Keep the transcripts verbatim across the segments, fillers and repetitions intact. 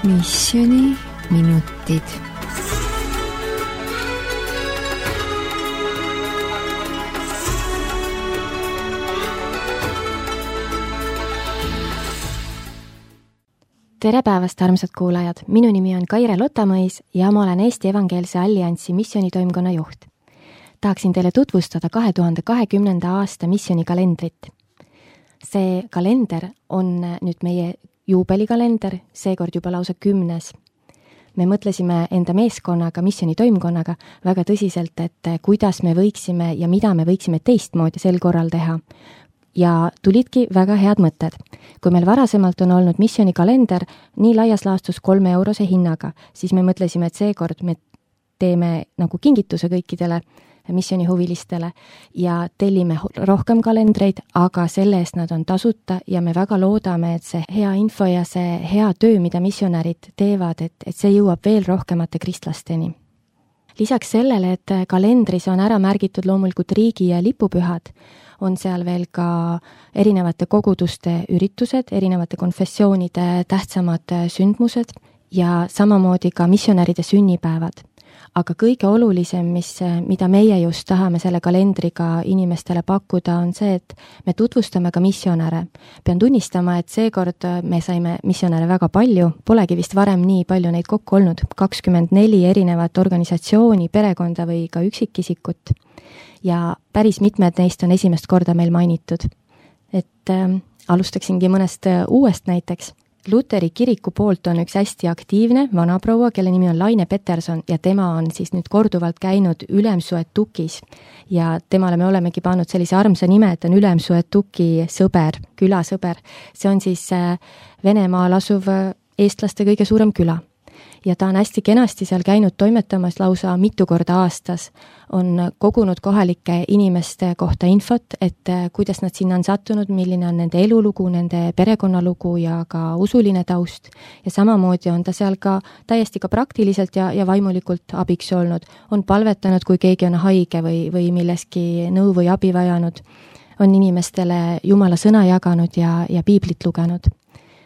Missiooni minutid. Tere päevast, armsad kuulajad! Minu nimi on Kaire Lotamõis ja ma olen Eesti Evangeelse Alliansi missioonitoimkonna juht. Tahaksin teile tutvustada kahe tuhande kahekümnenda aasta missioonikalendrit. See kalender on nüüd meie juubelikalender, seekord juba lausa kümnes. Me mõtlesime enda meeskonnaga, missioonitoimkonnaga väga tõsiselt, et kuidas me võiksime ja mida me võiksime teistmoodi sel korral teha. Ja tulidki väga head mõtted. Kui meil varasemalt on olnud missioonikalender nii laias laastus kolme eurose hinnaga, siis me mõtlesime, et seekord me teeme nagu kingituse kõikidele missioonihuvilistele ja tellime rohkem kalendreid, aga selle eest nad on tasuta ja me väga loodame, et see hea info ja see hea töö, mida missionärid teevad, et, et see jõuab veel rohkemate kristlasteni. Lisaks sellele, et kalendris on ära märgitud loomulikult riigi- ja lipupühad, on seal veel ka erinevate koguduste üritused, erinevate konfessioonide tähtsamad sündmused ja samamoodi ka missionäride sünnipäevad. Aga kõige olulisem, mis, mida meie just tahame selle kalendriga inimestele pakkuda, on see, et me tutvustame ka missionäre. Pean tunnistama, et seekord me saime missionäre väga palju, polegi vist varem nii palju neid kokku olnud, kakskümmend neli erinevat organisatsiooni, perekonda või ka üksikisikut. Ja päris mitmed neist on esimest korda meil mainitud. Et äh, alustaksingi mõnest äh, uuest näiteks. Luteri kiriku poolt on üks hästi aktiivne vanaproua, kelle nimi on Laine Peterson ja tema on siis nüüd korduvalt käinud Ülemsuetukis ja temale me olemegi pannud sellise armsa nime, et on Ülemsuetuki sõber, külasõber. See on siis äh, Venemaal asuv eestlaste kõige suurem küla. Ja ta on hästi kenasti seal käinud toimetamas lausa mitu korda aastas. On kogunud kohalike inimeste kohta infot, et kuidas nad sinna on sattunud, milline on nende elulugu, nende perekonnalugu ja ka usuline taust. Ja samamoodi on ta seal ka täiesti ka praktiliselt ja, ja vaimulikult abiks olnud. On palvetanud, kui keegi on haige või, või milleski nõu või abi vajanud. On inimestele Jumala sõna jaganud ja, ja piiblit lugenud.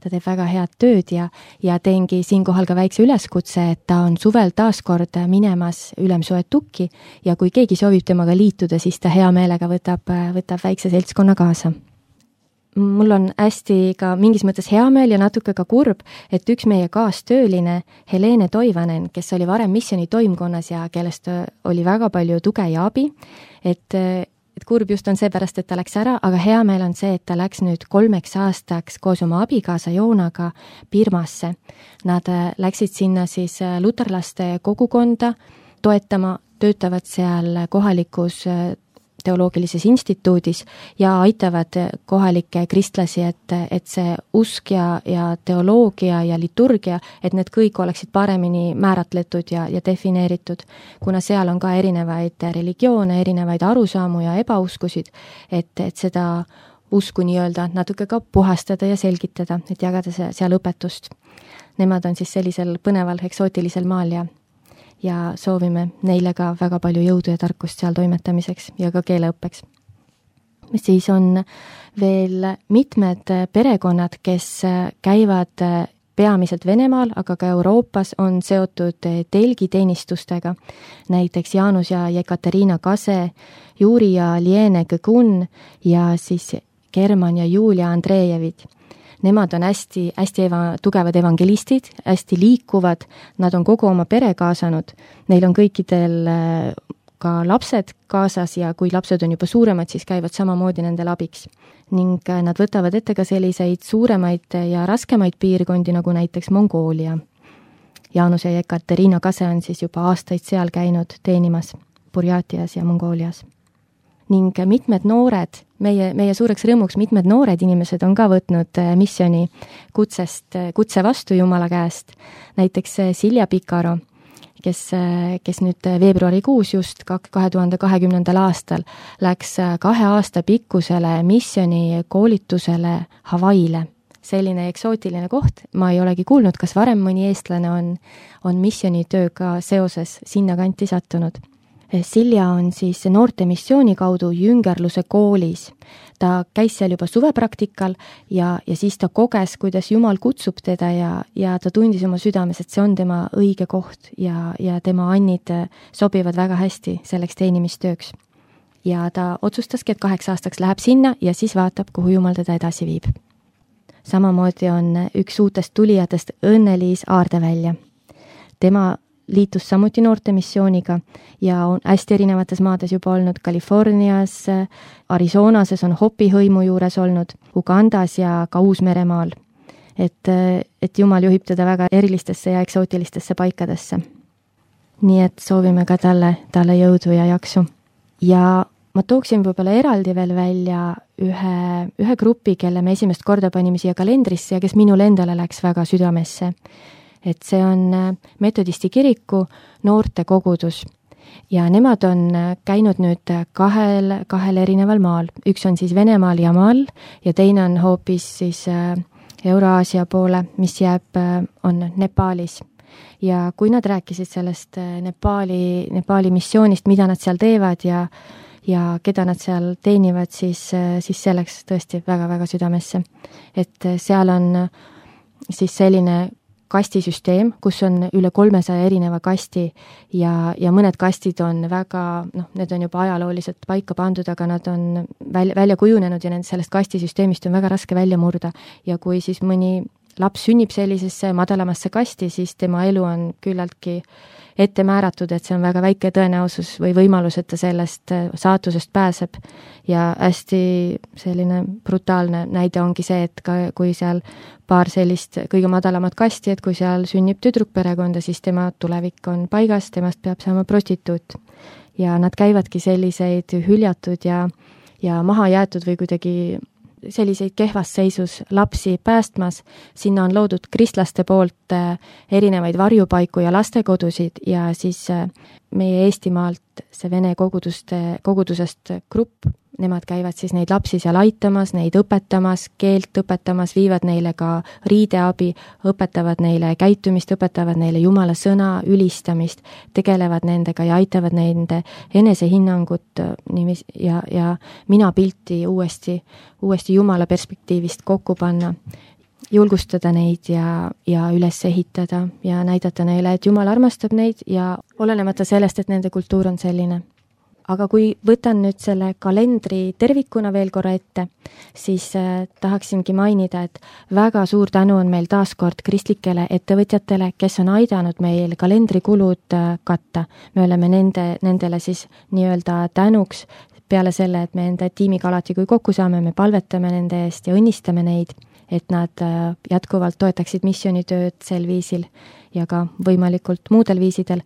Ta teeb väga head tööd ja, ja teengi siinkohal ka väikse üleskutse, et ta on suvel taaskord minemas Ülemsuetukki ja kui keegi soovib temaga liituda, siis ta hea meelega võtab, võtab väikse seltskonna kaasa. Mul on hästi ka mingis mõttes hea meel ja natuke ka kurb, et üks meie kaastööline Helene Toivanen, kes oli varem missiooni toimkonnas ja kellest oli väga palju tuge ja abi, et et kurb just on seepärast, et ta läks ära, aga hea meel on see, et ta läks nüüd kolmeks aastaks koos oma abikaasa Joonaga Birmasse. Nad läksid sinna siis luterlaste kogukonda toetama, töötavad seal kohalikus teoloogilises instituudis ja aitavad kohalikke kristlasi, et, et see usk ja, ja teoloogia ja liturgia, et need kõik oleksid paremini määratletud ja, ja defineeritud, kuna seal on ka erinevaid religioone, erinevaid arusaamu ja ebauskusid, et, et seda usku nii-öelda natuke ka puhastada ja selgitada, et jagada see, seal õpetust. Nemad on siis sellisel põneval eksootilisel maal ja ja soovime neile ka väga palju jõudu ja tarkust seal toimetamiseks ja ka keeleõppeks. Siis on veel mitmed perekonnad, kes käivad peamiselt Venemaal, aga ka Euroopas on seotud telgiteenistustega. Näiteks Jaanus ja Jekateriina Kase, Juri ja Liene Kõgun ja siis German ja Julia Andrejevid. Nemad on hästi, hästi eva, tugevad evangelistid, hästi liikuvad, nad on kogu oma pere kaasanud, neil on kõikidel ka lapsed kaasas ja kui lapsed on juba suuremad, siis käivad samamoodi nendel abiks. Ning nad võtavad ette ka selliseid suuremaid ja raskemaid piirkondi, nagu näiteks Mongoolia. Jaanus ja Jekateriina Kase on siis juba aastaid seal käinud teenimas Burjatias ja Mongoolias. Ning mitmed noored, meie, meie suureks rõõmuks mitmed noored inimesed on ka võtnud missiooni kutsest, kutse vastu Jumala käest. Näiteks Silja Pikaro, kes, kes nüüd veebruarikuus just kahe tuhande kahekümnendal aastal läks kahe aasta pikkusele missiooni koolitusele Hawaiile. Selline eksootiline koht, ma ei olegi kuulnud, kas varem mõni eestlane on, on missioonitööga seoses sinna kanti sattunud. Silja on siis noorte missiooni kaudu jüngerluse koolis. ta käis seal juba suvepraktikal ja, ja siis ta koges, kuidas Jumal kutsub teda ja, ja ta tundis oma südames, et see on tema õige koht ja, ja tema annid sobivad väga hästi selleks teenimistööks. Ja ta otsustaski, et kaheks aastaks läheb sinna ja siis vaatab, kuhu Jumal teda edasi viib. Samamoodi on üks uutest tulijatest Õnne-Liis Aardevälja. Tema liitus samuti noortemissiooniga ja on hästi erinevates maades juba olnud Californias, Arizonases on Hopi hõimu juures olnud, Ugandas ja ka Uus-Meremaal. Et, et Jumal juhib teda väga erilistesse ja eksootilistesse paikadesse. Nii et soovime ka talle, talle jõudu ja jaksu. Ja ma tooksin võib-olla eraldi veel välja ühe, ühe grupi, kelle me esimest korda panime siia kalendrisse ja kes minule endale läks väga südamesse. Et see on Metodisti kiriku noorte kogudus ja nemad on käinud nüüd kahel, kahel erineval maal. Üks on siis Venemaal ja maal ja teine on hoopis siis Euraasia poole, mis jääb, on Nepaalis. Ja kui nad rääkisid sellest Nepaali, Nepaali missioonist, mida nad seal teevad ja, ja keda nad seal teenivad, siis, siis see läks tõesti väga-väga südamesse. Et seal on siis selline kastisüsteem, kus on üle kolmesaja erineva kasti ja, ja mõned kastid on väga, noh, need on juba ajalooliselt paika pandud, aga nad on välja, välja kujunenud ja nend sellest kastisüsteemist on väga raske välja murda. Ja kui siis mõni laps sünnib sellisesse madalamasse kasti, siis tema elu on küllaltki ette määratud, et see on väga väike tõenäosus või võimalus, et ta sellest saatusest pääseb. Ja hästi selline brutaalne näide ongi see, et ka, kui seal paar sellist kõige madalamat kasti, et kui seal sünnib tüdrukperekonda, siis tema tulevik on paigas, temast peab saama prostituut. Ja nad käivadki selliseid hüljatud ja, ja maha jäetud või kuidagi selliseid kehvas seisus lapsi päästmas. Sinna on loodud kristlaste poolt erinevaid varjupaiku ja lastekodusid ja siis meie Eestimaalt see vene koguduste, kogudusest grupp, nemad käivad siis neid lapsi seal aitamas, neid õpetamas, keelt õpetamas, viivad neile ka riideabi, õpetavad neile käitumist, õpetavad neile Jumala sõna, ülistamist, tegelevad nendega ja aitavad nende enesehinnangut ja, ja mina pilti uuesti, uuesti Jumala perspektiivist kokku panna, julgustada neid ja, ja üles ehitada ja näidata neile, et Jumal armastab neid ja olenemata sellest, et nende kultuur on selline. Aga kui võtan nüüd selle kalendri tervikuna veel korra ette, siis äh, tahaksingi mainida, et väga suur tänu on meil taaskord kristlikele ettevõtjatele, kes on aidanud meil kalendrikulud äh, katta. Me oleme nende, nendele siis nii-öelda tänuks peale selle, et me enda tiimiga alati kui kokku saame, me palvetame nende eest ja õnnistame neid, et nad äh, jätkuvalt toetaksid missioonitööd sel viisil ja ka võimalikult muudel viisidel,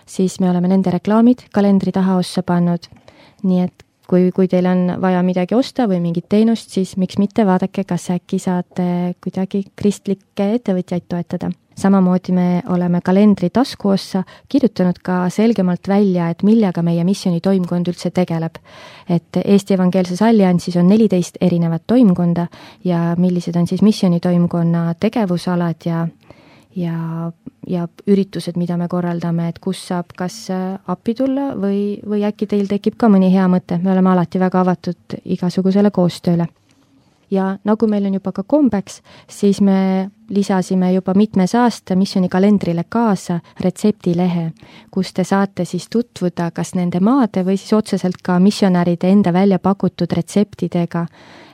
siis me oleme nende reklaamid kalendri taha ossa pannud. Nii et kui, kui teil on vaja midagi osta või mingit teenust, siis miks mitte vaadake, kas äkki saate kuidagi kristlikke ettevõtjaid toetada. Samamoodi me oleme kalendri tasku ossa kirjutanud ka selgemalt välja, et millega meie missiooni toimkond üldse tegeleb. Et Eesti Evangeelses Alliansis on neliteist erinevat toimkonda ja millised on siis missiooni toimkonna tegevusalad ja ja, ja üritused, mida me korraldame, et kus saab kas appi tulla või, või äkki teil tekib ka mõni hea mõte. Me oleme alati väga avatud igasugusele koostööle. Ja nagu meil on juba ka kombeks, siis me lisasime juba mitmes aasta missiooni kalendrile kaasa retseptilehe, kus te saate siis tutvuda kas nende maade või siis otseselt ka missionäride enda välja pakutud retseptidega,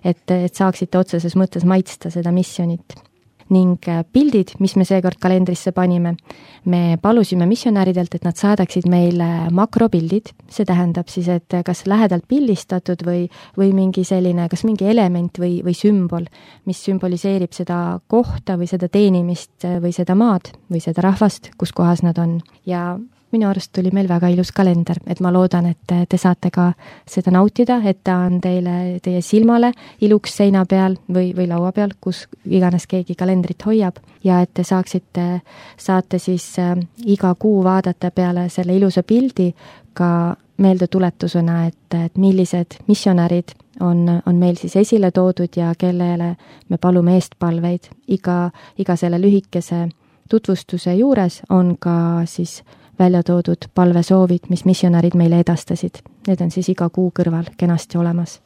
et, et saaksite otseses mõttes maitsta seda missionit. Ning pildid, mis me seekord kalendrisse panime, me palusime missionäridelt, et nad saadaksid meile makropildid, see tähendab siis, et kas lähedalt pildistatud või, või mingi selline, kas mingi element või, või sümbol, mis sümboliseerib seda kohta või seda teenimist või seda maad või seda rahvast, kus kohas nad on. Ja minu arust tuli meil väga ilus kalender, et ma loodan, et te saate ka seda nautida, et ta on teile, teie silmale iluks seina peal või, või laua peal, kus iganes keegi kalendrit hoiab ja et te saaksite, saate siis äh, iga kuu vaadata peale selle ilusa pildi ka meeldetuletusena, et, et millised missionärid on, on meil siis esile toodud ja kellele me palume eestpalveid. Iga, iga selle lühikese tutvustuse juures on ka siis välja toodud palvesoovid, mis missionärid meile edastasid. Need on siis iga kuu kõrval kenasti olemas.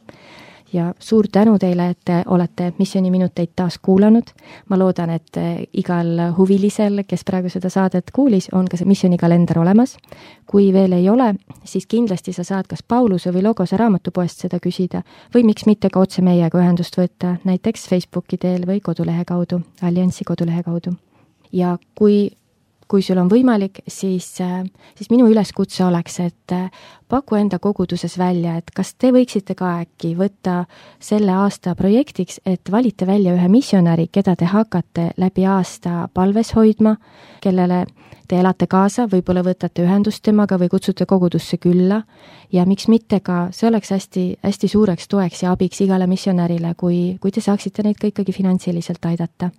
ja suur tänu teile, et te olete missiooniminuteid taas kuulanud. Ma loodan, et igal huvilisel, kes praegu seda saadet kuulis, on ka see missioonikalender olemas. Kui veel ei ole, siis kindlasti sa saad kas Pauluse või Logose raamatupoest seda küsida või miks mitte ka otse meiega ühendust võtta, näiteks Facebooki teel või kodulehe kaudu, Alliansi kodulehe kaudu. Ja kui Kui sul on võimalik, siis, siis minu üleskutse oleks, et paku enda koguduses välja, et kas te võiksite ka äkki võtta selle aasta projektiks, et valite välja ühe missionäri, keda te hakkate läbi aasta palves hoidma, kellele te elate kaasa, võib-olla võtate ühendust temaga või kutsute kogudusse külla ja miks mitte ka, see oleks hästi, hästi suureks toeks ja abiks igale missionärile, kui, kui te saaksite neid ka ikkagi finantsiliselt aidata.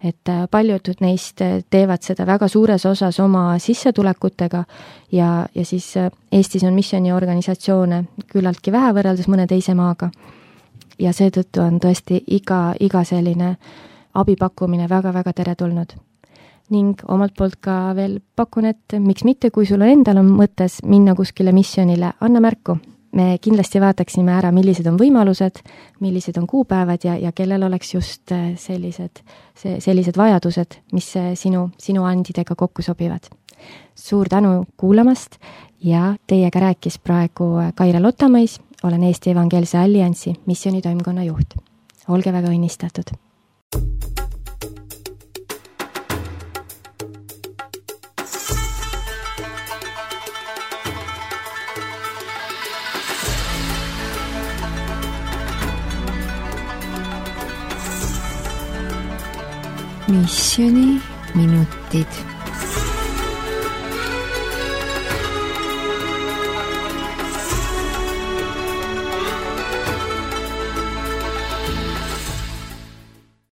Et paljud neist teevad seda väga suures osas oma sissetulekutega ja, ja siis Eestis on missiooniorganisatsioone küllaltki vähe võrreldes mõne teise maaga. Ja seetõttu on tõesti iga, iga selline abipakkumine väga-väga teretulnud. Ning omalt poolt ka veel pakun, et miks mitte, kui sul endal on mõttes minna kuskile missionile, anna märku. Me kindlasti vaataksime ära, millised on võimalused, millised on kuupäevad ja, ja kellel oleks just sellised, sellised vajadused, mis sinu, sinu andidega kokku sobivad. Suur tänu kuulamast ja teiega rääkis praegu Kaire Lottamõis, olen Eesti Evangeelse Alliansi missioonitoimkonna juht. Olge väga õnnistatud! Missioniminutid.